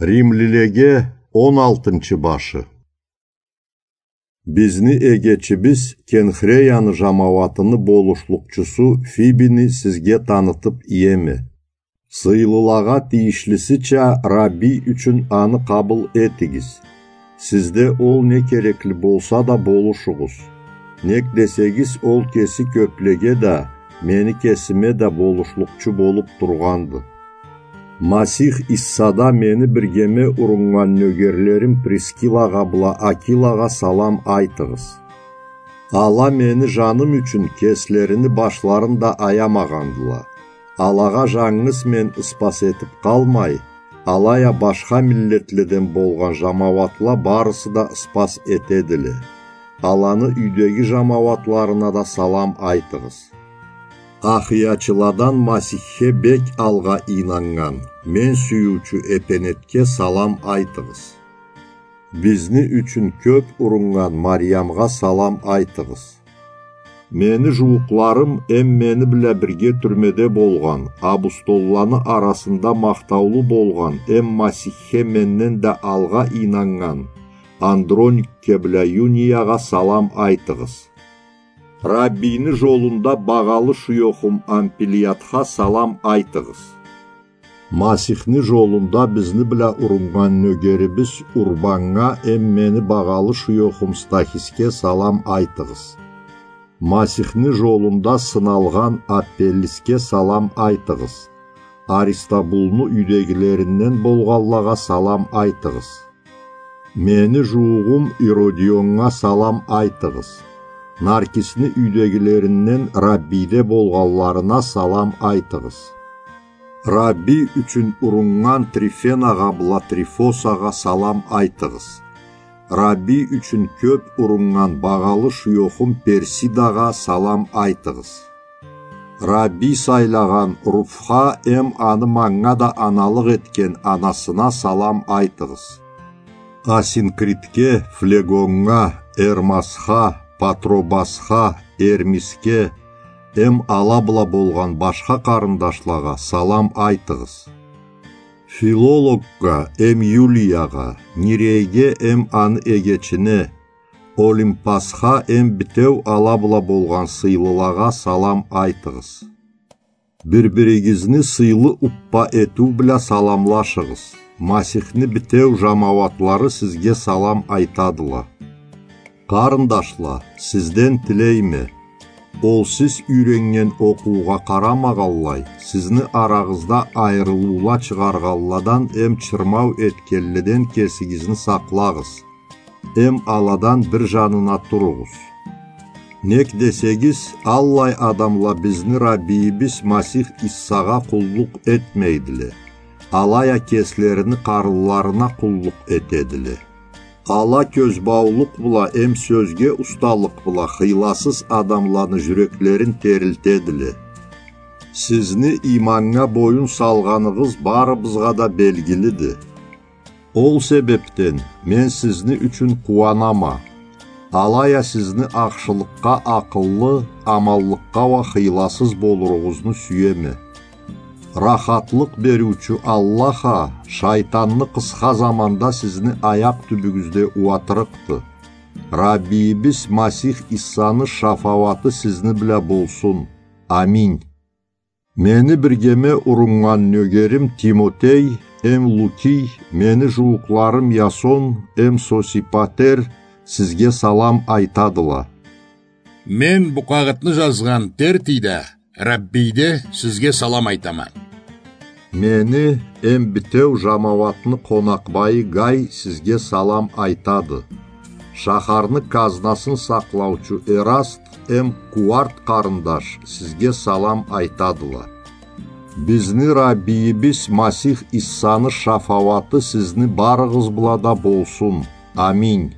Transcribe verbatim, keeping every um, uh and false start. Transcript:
Римлилеге он алтынчы башы. Бизни эгечибиз Кенхреяны жамауатыны болушлукъчусу Фибини сизге танытып иеме. Сыйлылагъа тийишлисича, Раббий ючюн аны къабыл этигиз. Сизде ол не керекли болса да болушугъуз. Нек десегиз, ол кеси кёплеге да, мени кесиме да болушлукъчу болуп тургъанды. Масих Иссада мени биргеме уруннган нёгерлерим Прискилагъа бла Акилагъа салам айтыгъыз. Ала мени жаным ючюн кеслерини башларын да аямагъандыла. Алагъа жангыз мен ыспас этип къалмай, алай а башха миллетледен болгъан жамауатла барысы да ыспас этедиле. Аланы юйдеги жамауатларына да салам айтыгъыз. Ахыячыладан Масихге бек алгъа ийнаннган, мен сюйюучю Эпенетге салам айтыгъыз. Бизни ючюн кёп уруннган Мариямгъа салам айтыгъыз. Мени жууукъларым эм мени бла бирге тюрмеде болгъан, абустолланы арасында махтаулу болгъан эм Масихге менден да алгъа ийнаннган Андроникге бла Юниягъа салам айтыгъыз. Раббийни жолунда багъалы шуёхум Ампилиатха салам айтыгъыз. Масихни жолунда бизни бла уруннган нёгерибиз Урбаннга эм мени багъалы шуёхум Стахисге салам айтыгъыз. Масихни жолунда сыналгъан Аппеллисге салам айтыгъыз. Аристабулну юйдегилеринден болгъанлагъа салам айтыгъыз. Мени жуугъум Иродионнга салам айтыгъыз. Наркисни юйдегилеринден Раббийде болгъанларына салам айтыгъыз. Раббий ючюн уруннган Трифенагъа бла Трифосагъа салам айтыгъыз. Раббий ючюн кёп уруннган багъалы шуёхум Персидагъа салам айтыгъыз. Раббий сайлагъан Руфха эм аны манга да аналыкъ этген анасына салам айтыгъыз. Асинкритге, Флегоннга, Эрмасха, Патробасха, Эрмисге эм ала бла болгъан башха къарындашлагъа салам айтыгъыз. Филологгъа эм Юлиягъа, Нирейге эм аны эгечине, Олимпасха эм битеу ала бла болгъан сыйлылагъа салам айтыгъыз. Бир-биригизни сыйлы уппа этиу бла саламлашыгъыз. Масихни битеу жамауатлары сизге салам айтадыла. Къарындашла, сизден тилейме, ол сиз юйреннген окъуугъа къарамагъанлай, сизни арагъызда айырылыула чыгъаргъанладан эм чырмау этгенледен кесигизни сакълагъыз. Эм аладан бир жанына туругъуз. Нек десегиз, аллай адамла бизни Раббийибиз Масих Иссагъа къуллукъ этмейдиле, алай а кеслерини къарынларына къуллукъ этедиле. Ала кёзбаулукъ бла эм сёзге усталыкъ бла хыйласыз адамланы жюреклерин терилтедиле. Сизни иманнга боюн салгъаныгъыз барыбызгъа да белгилиди. Ол себепден мен сизни ючюн къууанама, алай а сизни ахшылыкъгъа акъыллы, аманлыкъгъа уа хыйласыз болуругъузну сюеме. Рахатлыкъ бериучю Аллах а шайтанны къысха заманда сизни аякъ тюбюгюзде ууатырыкъды. Раббийибиз Масих Иссаны шафауаты сизни бла болсун. Аминь. Мени биргеме уруннган нёгерим Тимотей эм Лукий, мени жууукъларым Ясон эм Сосипатер сизге салам айтадыла. Мен бу къагъытны жазгъан Тертий да Раббийде сизге салам айтама. Мени эм битеу жамауатны къонакъбайы Гай сизге салам айтады. Шахарны казнасын сакълаучу Эраст эм Куарт къарындаш сизге салам айтадыла. Бизни Раббийибиз Масих Иссаны шафауаты сизни барыгъыз бла да болсун. Аминь.